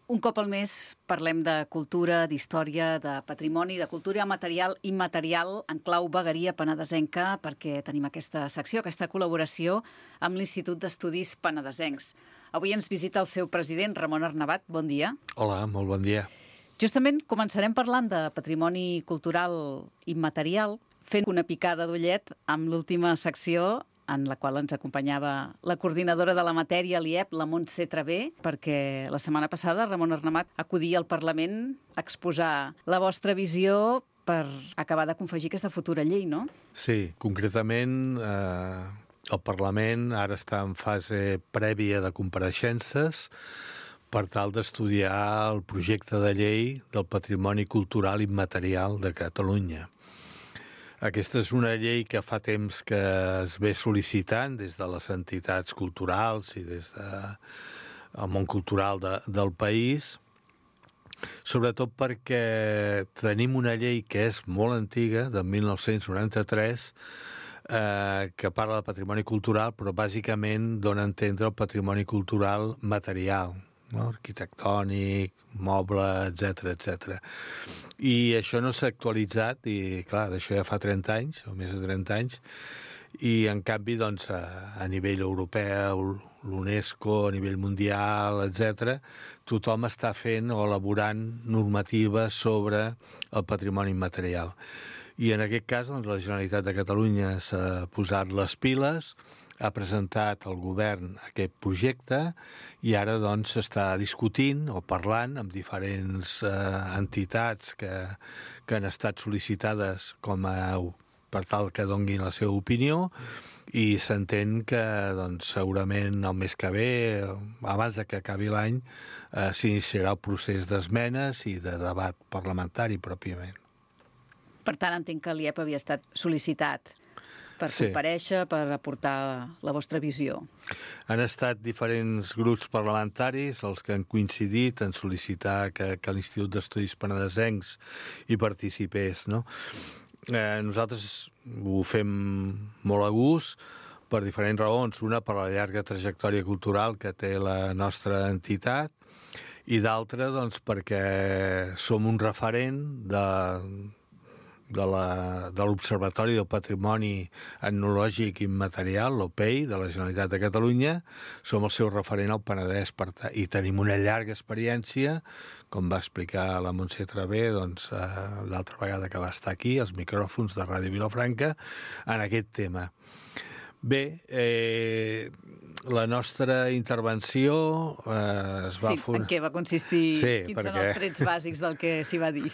Un cop al mes parlem de cultura, d'història, de patrimoni, de cultura material i immaterial en clau vegueria penedesenca, perquè tenim aquesta secció, aquesta col·laboració amb l'Institut d'Estudis Penedesencs. Avui ens visita el seu president, Ramon Arnabat. Bon dia. Hola, molt bon dia. Justament començarem parlant de patrimoni cultural immaterial, fent una picada d'ullet amb l'última secció en la qual ens acompanyava la coordinadora de la matèria a l'IEP, la Montse Travé, perquè la setmana passada Ramon Arnabat acudia al Parlament a exposar la vostra visió per acabar de confegir aquesta futura llei, no? Sí, concretament el Parlament ara està en fase prèvia de compareixences per tal d'estudiar el projecte de llei del patrimoni cultural immaterial de Catalunya. Aquesta és una llei que fa temps que es ve sol·licitant des de les entitats culturals i des del món cultural del país, sobretot perquè tenim una llei que és molt antiga, de 1993, que parla de patrimoni cultural, però bàsicament dona a entendre el patrimoni cultural material, no? Arquitectònic, moble, etc. I això no s'ha actualitzat, i clar, d'això ja fa 30 anys, o més de 30 anys, i en canvi, doncs, a nivell europeu, l'UNESCO, a nivell mundial, etc., tothom està fent o elaborant normatives sobre el patrimoni immaterial. I en aquest cas, doncs, la Generalitat de Catalunya s'ha posat les piles, ha presentat al govern aquest projecte i ara doncs s'està discutint o parlant amb diferents entitats que han estat sol·licitades per tal que donguin la seva opinió, i s'entén que doncs, segurament el mes que ve, abans de que acabi l'any, s'iniciarà el procés d'esmenes i de debat parlamentari pròpiament. Per tant, entenc que l'IEP havia estat sol·licitat per comparèixer, per aportar la vostra visió. Han estat diferents grups parlamentaris els que han coincidit en sol·licitar que l'Institut d'Estudis Penedesencs hi participés, no? Nosaltres ho fem molt a gust per diferents raons. Una, per la llarga trajectòria cultural que té la nostra entitat, i d'altra, doncs, perquè som un referent de l'Observatori del Patrimoni Etnològic Immaterial, l'OPEI, de la Generalitat de Catalunya. Som el seu referent al Penedès i tenim una llarga experiència, com va explicar la Montse Travé doncs, l'altra vegada que va estar aquí, als micròfons de Ràdio Vilafranca, en aquest tema. Bé, la nostra intervenció es va... Sí, en què va consistir? Quins són els trets bàsics del que s'hi va dir?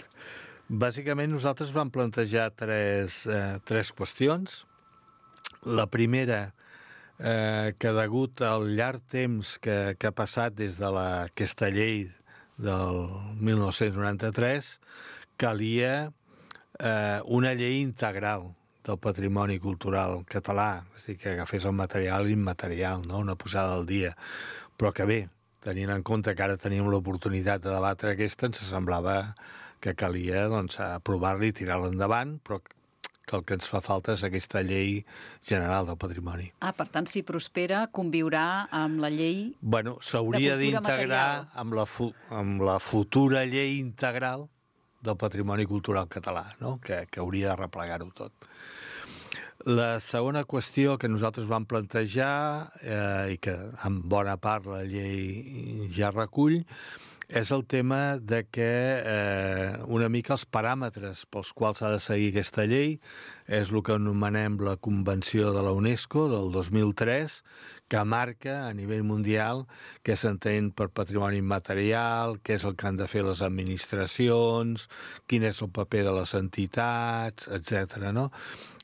Bàsicament, nosaltres vam plantejar tres qüestions. La primera, que degut al llarg temps que ha passat des de aquesta llei del 1993, calia una llei integral del patrimoni cultural català, és a dir, que agafés el material i immaterial, no? Una posada al dia. Però que bé, tenint en compte que ara tenim l'oportunitat de debatre aquesta, ens semblava que calia doncs, aprovar-la i tirar-la endavant, però que el que ens fa falta és aquesta llei general del patrimoni. Per tant, si prospera, conviurà amb la llei de cultura material. S'hauria d'integrar amb la futura llei integral del patrimoni cultural català, no? Que hauria de replegar-ho tot. La segona qüestió que nosaltres vam plantejar, i que en bona part la llei ja recull, és el tema de que una mica els paràmetres pels quals ha de seguir aquesta llei és el que anomenem la Convenció de la UNESCO del 2003, que marca a nivell mundial què s'entén per patrimoni immaterial, què és el que han de fer les administracions, quin és el paper de les entitats, etc. No?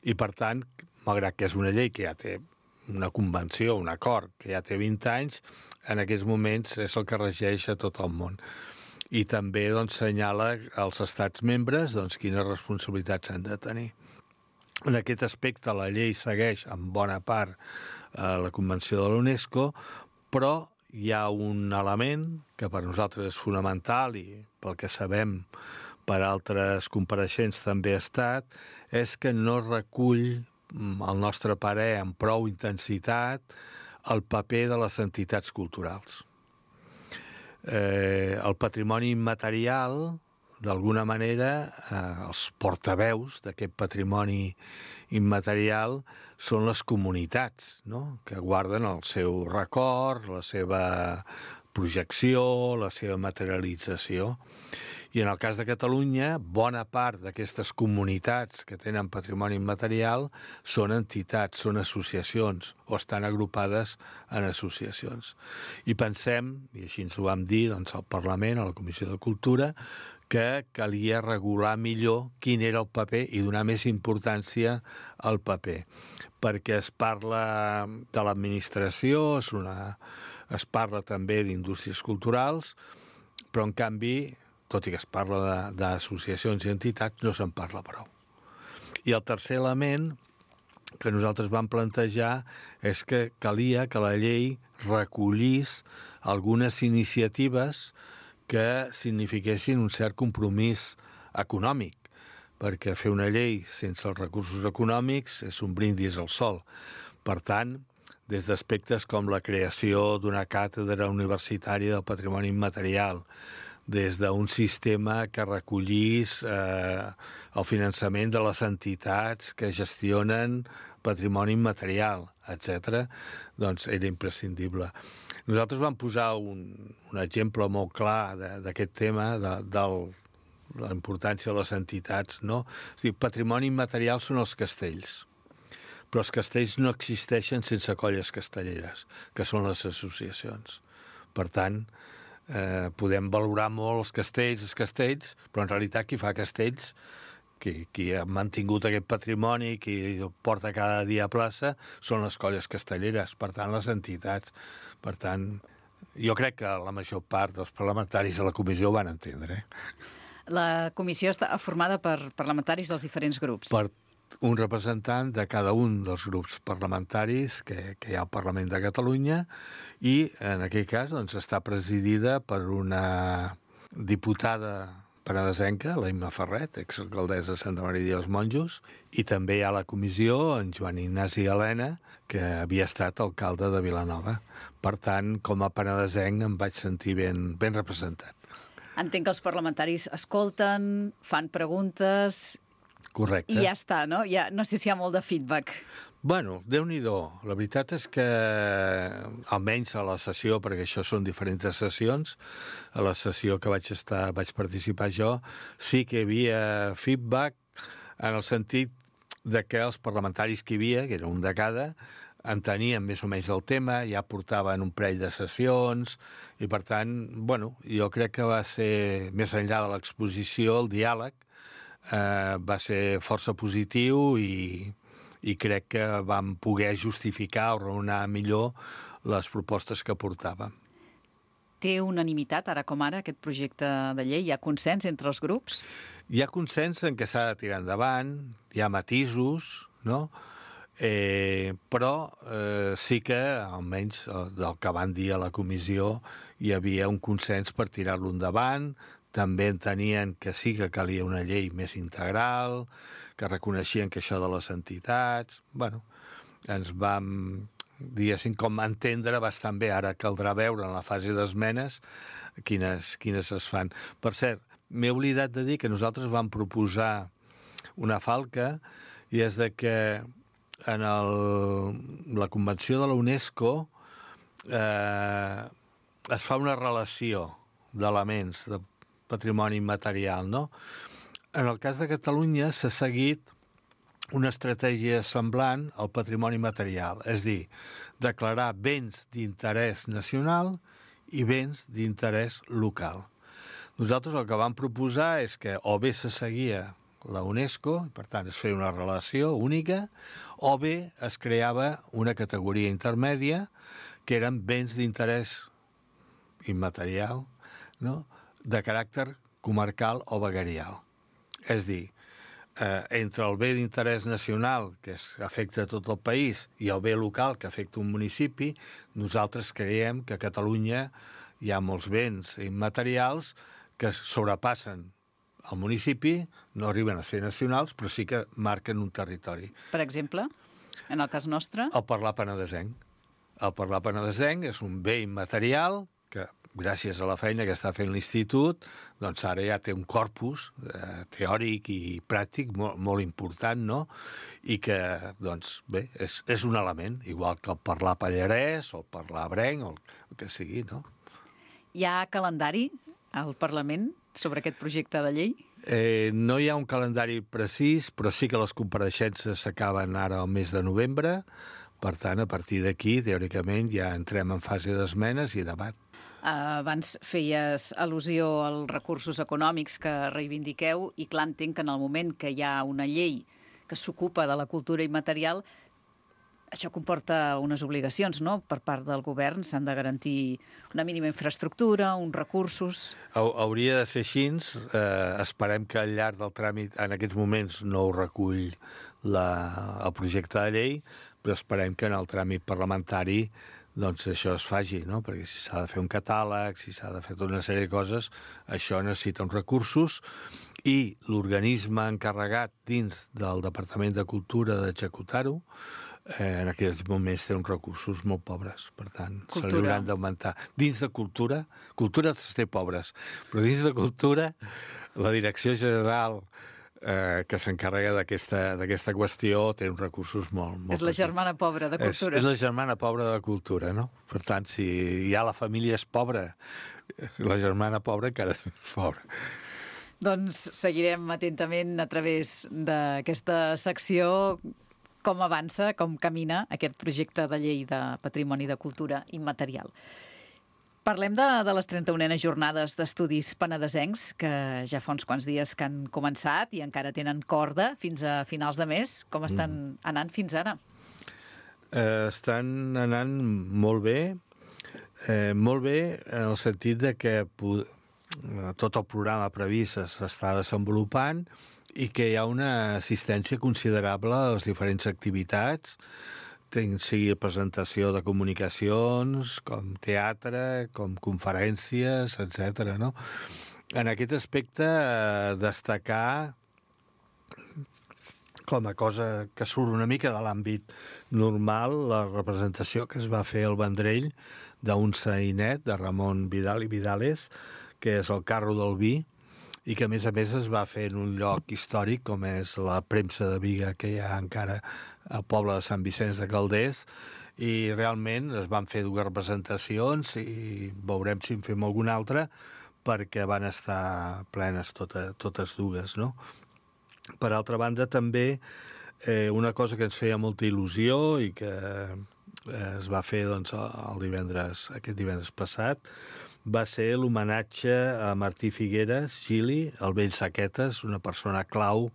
I per tant, malgrat que és una llei que ja té una convenció, un acord que ja té 20 anys, en aquests moments és el que regeix a tot el món. I també doncs, senyala als estats membres doncs, quines responsabilitats s'han de tenir. En aquest aspecte la llei segueix en bona part la Convenció de l'UNESCO, però hi ha un element que per nosaltres és fonamental i pel que sabem per altres compareixents també ha estat, és que no recull, al nostre parer, amb prou intensitat, el paper de les entitats culturals. el patrimoni immaterial, d'alguna manera, els portaveus d'aquest patrimoni immaterial són les comunitats, no?, que guarden el seu record, la seva projecció, la seva materialització. I en el cas de Catalunya, bona part d'aquestes comunitats que tenen patrimoni immaterial són entitats, són associacions, o estan agrupades en associacions. I pensem, i així ens ho vam dir doncs, al Parlament, a la Comissió de Cultura, que calia regular millor quin era el paper i donar més importància al paper, perquè es parla de l'administració, es parla també d'indústries culturals, però en canvi, tot i que es parla d'associacions i entitats, no se'n parla prou. I el tercer element que nosaltres vam plantejar és que calia que la llei recollís algunes iniciatives que signifiquessin un cert compromís econòmic, perquè fer una llei sense els recursos econòmics és un brindis al sol. Per tant, des d'aspectes com la creació d'una càtedra universitària del patrimoni immaterial, des d'un sistema que recollís el finançament de les entitats que gestionen patrimoni immaterial, etc., doncs era imprescindible. Nosaltres vam posar un exemple molt clar d'aquest tema, de la importància de les entitats, no? És a dir, patrimoni immaterial són els castells, però els castells no existeixen sense colles castelleres, que són les associacions. Per tant, podem valorar molt els castells, però en realitat qui fa castells, qui ha mantingut aquest patrimoni, qui el porta cada dia a plaça, són les colles castelleres, per tant, les entitats. Per tant, jo crec que la major part dels parlamentaris de la comissió ho van entendre. La comissió està formada per parlamentaris dels diferents grups. Per un representant de cada un dels grups parlamentaris que hi ha al Parlament de Catalunya i, en aquest cas, doncs, està presidida per una diputada penedesenca, la Imma Ferret, exalcaldessa de Santa Maria dels Monjos, i també hi ha a la comissió en Joan Ignasi Elena, que havia estat alcalde de Vilanova. Per tant, com a penedesenc em vaig sentir ben representat. Entenc que els parlamentaris escolten, fan preguntes... Correcte. I ja està, no? No sé si hi ha molt de feedback. Bueno, Déu-n'hi-do. La veritat és que, almenys a la sessió, perquè això són diferents sessions, a la sessió que vaig participar jo, sí que hi havia feedback en el sentit de que els parlamentaris que hi havia, que era un de cada, entenien més o menys el tema, ja portaven un parell de sessions, i per tant, bueno, jo crec que va ser, més enllà de l'exposició, el diàleg, va ser força positiu i crec que vam poder justificar o raonar millor les propostes que portàvem. Té unanimitat, ara com ara, aquest projecte de llei? Hi ha consens entre els grups? Hi ha consens en què s'ha de tirar endavant, hi ha matisos, no? Però sí que, almenys del que van dir a la comissió, hi havia un consens per tirar-lo endavant. També entenien que sí que calia una llei més integral, que reconeixien que això de les entitats... Bueno, ens vam, diguéssim, com entendre bastant bé. Ara caldrà veure en la fase d'esmenes quines es fan. Per cert, m'he oblidat de dir que nosaltres vam proposar una falca, i és de que en la Convenció de la UNESCO es fa una relació d'elements de patrimoni immaterial, no? En el cas de Catalunya s'ha seguit una estratègia semblant al patrimoni material, és dir, declarar béns d'interès nacional i béns d'interès local. Nosaltres el que vam proposar és que o bé se seguia la UNESCO, per tant es feia una relació única, o bé es creava una categoria intermèdia que eren béns d'interès immaterial, no?, de caràcter comarcal o veguerial. És dir, entre el bé d'interès nacional, que afecta tot el país, i el bé local, que afecta un municipi, nosaltres creiem que a Catalunya hi ha molts béns immaterials que sobrepassen el municipi, no arriben a ser nacionals, però sí que marquen un territori. Per exemple, en el cas nostre? El parlar penedesenc. El parlar penedesenc és un bé immaterial que gràcies a la feina que està fent l'Institut, doncs ara ja té un corpus teòric i pràctic molt important, no? I que, doncs, bé, és un element, igual que el parlar pallarès o el parlar abrenc o el que sigui, no? Hi ha calendari al Parlament sobre aquest projecte de llei? No hi ha un calendari precís, però sí que les compareixences s'acaben ara al mes de novembre. Per tant, a partir d'aquí, teòricament, ja entrem en fase d'esmenes i debat. Abans feies al·lusió als recursos econòmics que reivindiqueu i clar, entenc que en el moment que hi ha una llei que s'ocupa de la cultura immaterial, això comporta unes obligacions, no?, per part del govern. S'han de garantir una mínima infraestructura, uns recursos... Hauria de ser així. Esperem que al llarg del tràmit, en aquests moments, no ho recull el projecte de llei, però esperem que en el tràmit parlamentari doncs això es faci, no? Perquè si s'ha de fer un catàleg, si s'ha de fer tota una sèrie de coses, això necessita uns recursos i l'organisme encarregat dins del Departament de Cultura d'executar-ho en aquells moments té uns recursos molt pobres, per tant, se li hauran d'augmentar. Dins de cultura es té pobres, però dins de cultura la Direcció General que s'encarrega d'aquesta qüestió té uns recursos molt és la germana pobra de cultura. És la germana pobra de cultura, no? Per tant, si ja la família és pobra, la germana pobra encara és més pobra. Doncs seguirem atentament a través d'aquesta secció com avança, com camina aquest projecte de llei de patrimoni de cultura immaterial. Parlem de les 31enes jornades d'estudis penedesencs, que ja fa uns quants dies que han començat i encara tenen corda fins a finals de mes. Com estan anant fins ara? Estan anant molt bé en el sentit de que tot el programa previst s'està desenvolupant i que hi ha una assistència considerable a les diferents activitats, sigui presentació de comunicacions, com teatre, com conferències, etc. No? En aquest aspecte, destacar com a cosa que surt una mica de l'àmbit normal la representació que es va fer al Vendrell d'un sainet de Ramon Vidal i Vidales, que és el carro del vi, i que, a més es va fer en un lloc històric, com és la premsa de Biga, que hi ha encara al poble de Sant Vicenç de Calders, i realment es van fer 2 representacions i veurem si en fem alguna altra, perquè van estar plenes totes 2, no? Per altra banda, també una cosa que ens feia molta il·lusió i que es va fer doncs, aquest divendres passat, va ser l'homenatge a Martí Figueres, Gili, el vell Saquetes, una persona clau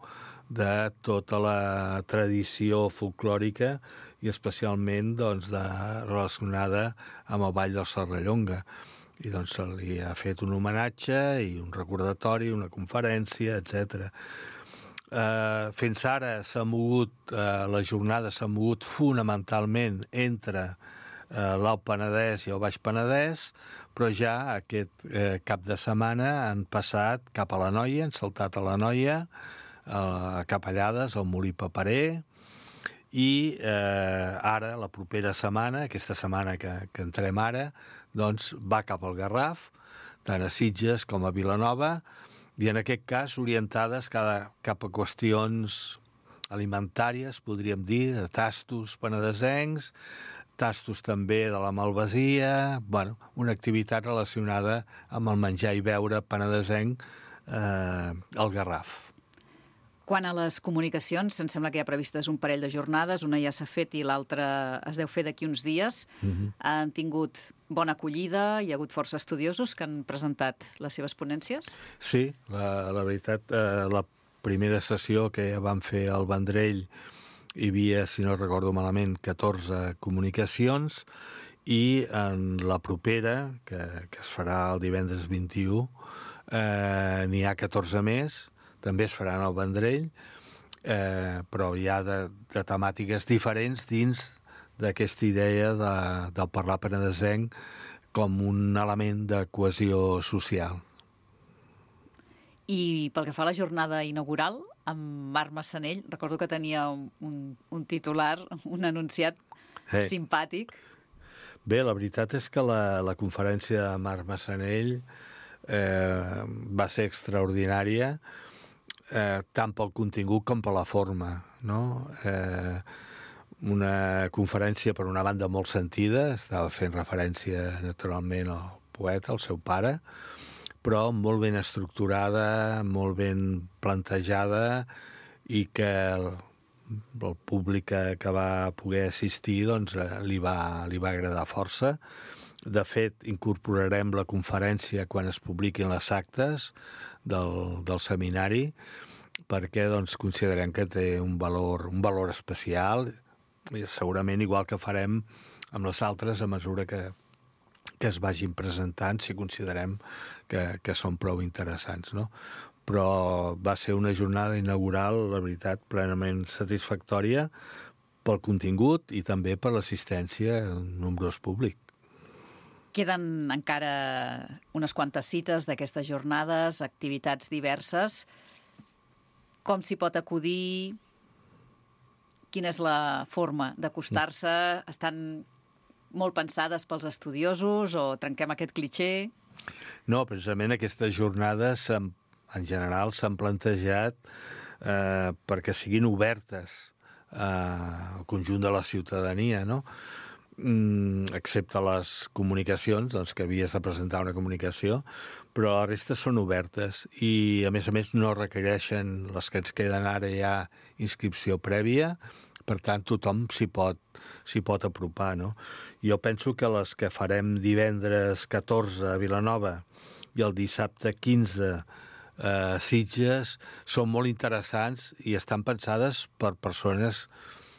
de tota la tradició folclòrica i especialment doncs, relacionada amb el Ball del Serrallonga. I doncs se li ha fet un homenatge i un recordatori, una conferència, etc. Fins ara la jornada s'ha mogut fonamentalment entre l'Alt Penedès i el Baix Penedès, però ja aquest cap de setmana han passat cap a l'Anoia, han saltat a l'Anoia, a Capellades, al Molí Paperer, i ara, la propera setmana, aquesta setmana que entrem ara, doncs va cap al Garraf, tant a Sitges com a Vilanova, i en aquest cas orientades cap a qüestions alimentàries, podríem dir, de tastos penedesencs, tastos també de la malvasia, una activitat relacionada amb el menjar i beure penedesenc al Garraf. Quant a les comunicacions, em sembla que hi ha previstes un parell de jornades, una ja s'ha fet i l'altra es deu fer d'aquí uns dies. Han tingut bona acollida, hi ha hagut força estudiosos que han presentat les seves ponències? Sí, la veritat, la primera sessió que vam fer al Vendrell hi havia, si no recordo malament, 14 comunicacions i en la propera, que es farà el divendres 21, n'hi ha 14 més, també es faran al Vendrell, però hi ha de temàtiques diferents dins d'aquesta idea del parlar penedesenc com un element de cohesió social. I pel que fa a la jornada inaugural, amb Marc Massanell, recordo que tenia un titular, un enunciat simpàtic. Bé, la veritat és que la conferència de Marc Massanell va ser extraordinària, tant pel contingut com per la forma, no? Una conferència, per una banda, molt sentida, estava fent referència, naturalment, al poeta, al seu pare, però molt ben estructurada, molt ben plantejada, i que el públic que va poder assistir doncs, li va agradar força. De fet, incorporarem la conferència quan es publiquin les actes del seminari, perquè doncs, considerem que té un valor especial, i segurament igual que farem amb les altres a mesura que es vagin presentant, si considerem que són prou interessants, no? Però va ser una jornada inaugural, la veritat, plenament satisfactòria pel contingut i també per l'assistència en nombrós públic. Queden encara unes quantes cites d'aquestes jornades, activitats diverses. Com s'hi pot acudir? Quina és la forma d'acostar-se? Estan molt pensades pels estudiosos o trenquem aquest clitxé? No, precisament aquestes jornades en general s'han plantejat perquè siguin obertes al conjunt de la ciutadania, no? Excepte les comunicacions, doncs, que havies de presentar una comunicació, però la resta són obertes i, a més, no requereixen, les que ens queden ara ja, inscripció prèvia, per tant, tothom s'hi pot apropar, no? Jo penso que les que farem divendres 14 a Vilanova i el dissabte 15 a Sitges són molt interessants i estan pensades per persones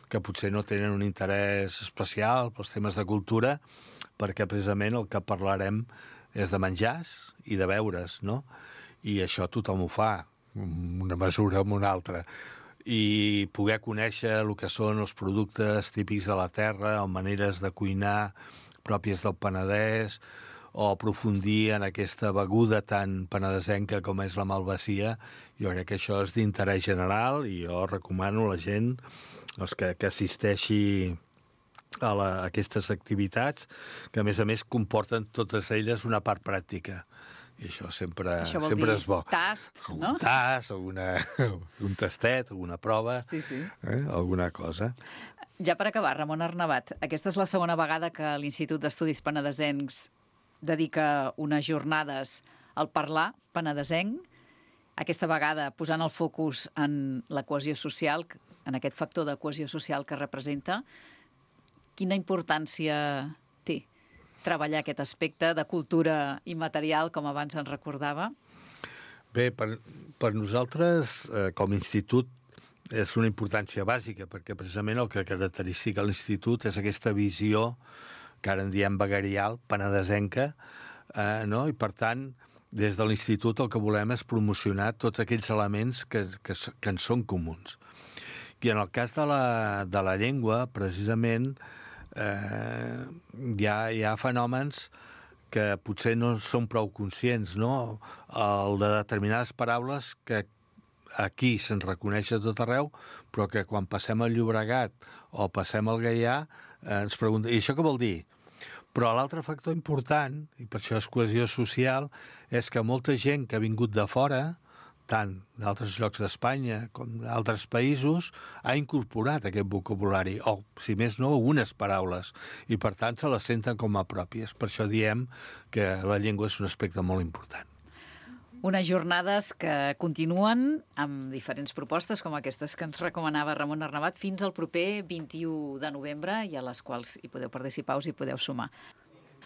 que potser no tenen un interès especial pels temes de cultura, perquè precisament el que parlarem és de menjars i de beures, no? I això tothom ho fa, una mesura amb una altra. I poder conèixer el que són els productes típics de la terra, o maneres de cuinar pròpies del Penedès, o aprofundir en aquesta beguda tan penedesenca com és la malvasia, jo crec que això és d'interès general i jo recomano a la gent que assisteixi a aquestes activitats, que a més comporten totes elles una part pràctica. I això sempre és bo. Tast, no? Un tast, un tastet, alguna prova, sí. Alguna cosa. Ja per acabar, Ramon Arnabat, aquesta és la segona vegada que l'Institut d'Estudis Penedesencs dedica unes jornades al parlar penedesenc, aquesta vegada posant el focus en la cohesió social, en aquest factor de cohesió social que representa. Quina importància té treballar aquest aspecte de cultura immaterial, com abans ens recordava? Bé, per nosaltres, com a institut, és una importància bàsica, perquè precisament el que caracteritza l'institut és aquesta visió, que ara en diem vegarial, penedesenca, no? I per tant, des de l'institut el que volem és promocionar tots aquells elements que ens són comuns. I en el cas de la llengua, precisament, hi ha fenòmens que potser no són prou conscients, no? El de determinades paraules que aquí se'n reconeix a tot arreu, però que quan passem al Llobregat o passem al Gaià ens preguntem, i això què vol dir? Però l'altre factor important, i per això és cohesió social, és que molta gent que ha vingut de fora, tant d'altres llocs d'Espanya com d'altres països, ha incorporat aquest vocabulari, o, si més no, algunes paraules, i per tant se les senten com a pròpies. Per això diem que la llengua és un aspecte molt important. Unes jornades que continuen amb diferents propostes, com aquestes que ens recomanava Ramon Arnabat, fins al proper 21 de novembre, i a les quals hi podeu participar, us hi podeu sumar.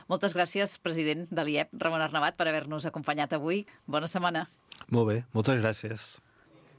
Moltes gràcies, president de l'IEP, Ramon Arnabat, per haver-nos acompanyat avui. Bona setmana. Molt bé, moltes gràcies.